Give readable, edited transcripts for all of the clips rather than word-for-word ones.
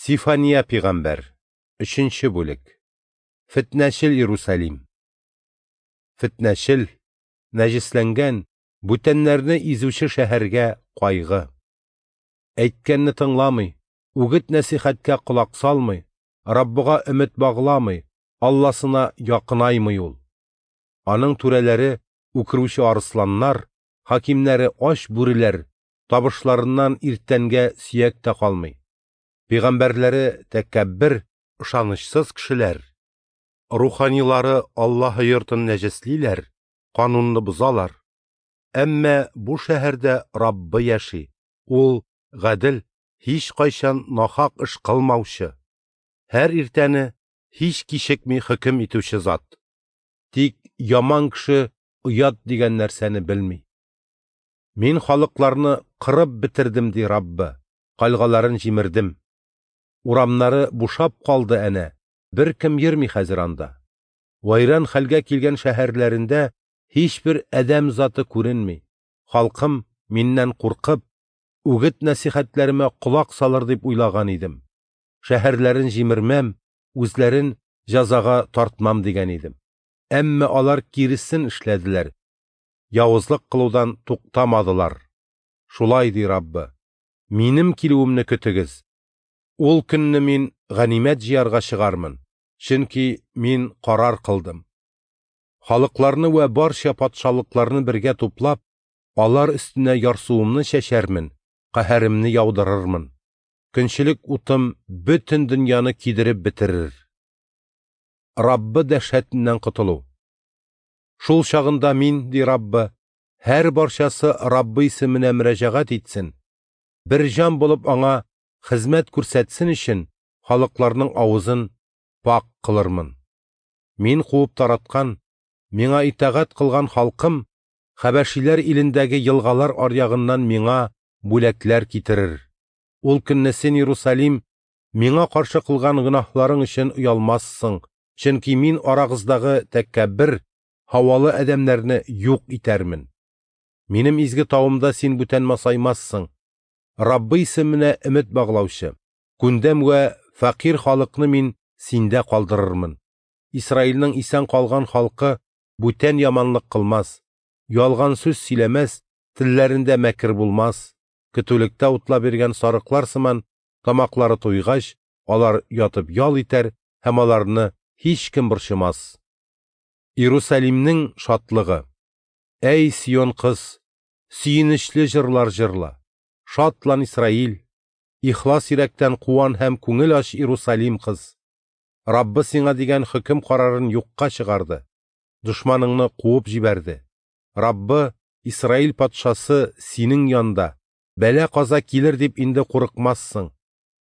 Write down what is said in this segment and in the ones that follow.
Сифания пигамбәр, өченче бүлек. Фетнәчел Иерусалим. Фетнәчел, нәҗесләнгән, бүтәннәрне изүче шәһәргә кайгы. Әйткәнне тыңламый, үгет-нәсихәткә колак салмый, Раббыга өмет багламый, Алласына якынаймый ул. Аның түрәләре үкерүче арысланнар, хакимнәре ач бүреләр, табышларыннан иртәнгә сөяк тә калмый. Пәйгамбәрләре тәкәббер, ышанычсыз кешеләр. Руханилары Аллаһы йортын нәҗеслиләр, канунны бозалар. Әмма бу шәһәрдә Раббы яши. Ул гадел, һич кайчан нахак эш кылмаучы. Һәр иртәне һич кичекми хөкем итүче зат. Тик яман кеше оят дигән нәрсәне белми. Мин халыкларны кырып бетердем, ди Раббы. Кальгаларын җимердем. Урамнары бушап калды әнә, беркем йөрми хәзер анда. Вайран хәлгә килгән шәһәрләрендә һичбер адәм заты күренми. Халкым миннән куркып, үгет-нәсихәтләремә колак салыр дип уйлаган идем. Шәһәрләрен җимермәм, үзләрен җәзага тартмам дигән идем. Әмма алар киресен эшләделәр. Явызлык кылудан туктамадылар. Шулай ди Раббы. Минем килүемне көтегез. Ул көнне мин ганимәт җыярга чыгармын, чөнки мин карар кылдым. Халыкларны вә барча патшалыкларны бергә туплап, алар өстенә ярсуымны чәчәрмен, каһәремне яудырырмын. Көнчелек утым бөтен дөньяны кидереп бетерер. Раббы дәһшәтеннән котылу. Шул чагында мин, ди Раббы, һәр барчасы Раббы исеменә мөрәҗәгать итсен, бер җан булып аңа хезмәт күрсәтсен өчен халыкларның авызын пак кылырмын. Мин куып тараткан, миңа итагать кылган халкым Хәбәшиләр илендәге елгалар аръягыннан миңа бүләкләр китерер. Ул көнне син, Иерусалим, миңа каршы кылган гөнаһларың өчен оялмассың, чөнки мин арагыздагы тәкәббер, һавалы адәмнәрне юк итәрмен. Минем изге тавымда син бүтән масаймассың. Раббы исеменә өмет баглаучы, күндәм вә фәкыйрь халыкны мин синдә калдырырмын. Исраилнең исән калган халкы бүтән яманлык кылмас, ялган сүз сөйләмәс, телләрендә мәкер булмас. Көтүлектә утлап йөргән сарыклар сыман тамаклары туйгач, алар ятып ял итәр һәм аларны һичкем борчымас. Иерусалимнең шатлыгы. Әй, Сион кыз, сөенечле җырлар җырла. Шатлан, Исраил, ихлас йөрәктән куан һәм күңел ач, Иерусалим кыз. Раббы сиңа дигән хөкем карарын юкка чыгарды. Дошманыңны куып җибәрде. Раббы, Исраил патшасы синең янда. Бәла каза килер дип инде курыкмассың.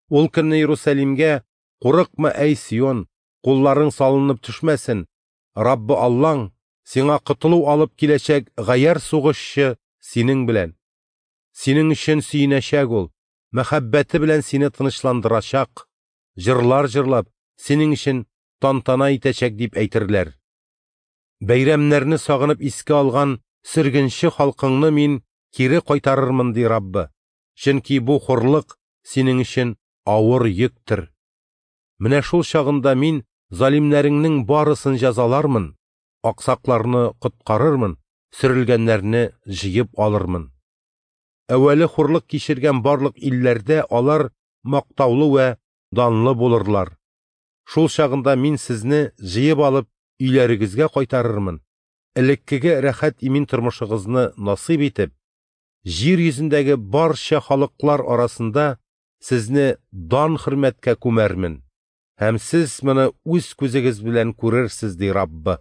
Ул көнне Иерусалимгә: "Курыкма, әй Сион, кулларың салынып төшмәсен. Раббы Аллаң сиңа котылу алып киләчәк гаяр сугышчы синең белән. Синең өчен сөенәчәк ул, мәхәббәте белән сине тынычландырачак, җырлар җырлап, синең өчен тантана итәчәк", дип әйтерләр. Бәйрәмнәрне сагынып искә алган сөргенче халкыңны мин кире кайтарырмын, ди Раббы. Чөнки бу хурлык синең өчен авыр йөктер. Менә шул чагында мин залимнәреңнең барысын җәзалармын, аксакларны коткарырмын, сөрелгәннәрне җыеп алырмын. Әүвәле хурлык кичергән барлык илләрдә алар мактаулы вә данлы булырлар. Шул чагында мин сезне җыеп алып өйләрегезгә кайтарырмын. Элеккеге рәхәт имин тормышыгызны насыйп итеп, җир йөзендәге барча халыклар арасында сезне дан хөрмәткә күмәрмен. Һәм сез моны үз күзегез белән күрерсез, ди Раббы.